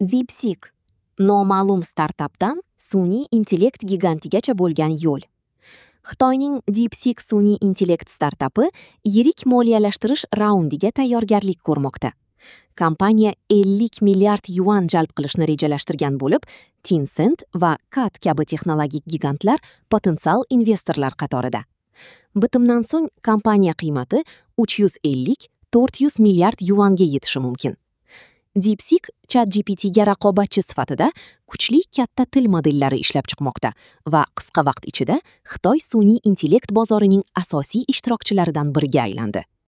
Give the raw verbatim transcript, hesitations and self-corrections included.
DeepSeek – noma'lum startapdan sun'iy intellekt gigantigacha bo'lgan yo'l. Xitoyning DeepSeek sun'iy intellekt startapi yirik moliyalashtirish raundiga tayyorgarlik ko'rmoqda. Kompaniya ellik milliard yuan jalb qilishni rejalashtirgan bo'lib, Tencent va C A T kabi texnologik gigantlar potensial investorlar qatorida. Bitimdan so'ng kompaniya qiymati uch yuz ellik to'rt yuz milliard yuanga yetishi mumkin. DeepSeek ChatGPT ga raqobatchi sifatida kuchli katta til modellari ishlab chiqmoqda va qisqa vaqt ichida Xitoy sun'iy intellekt bozorining asosiy ishtirokchilaridan biriga aylandi.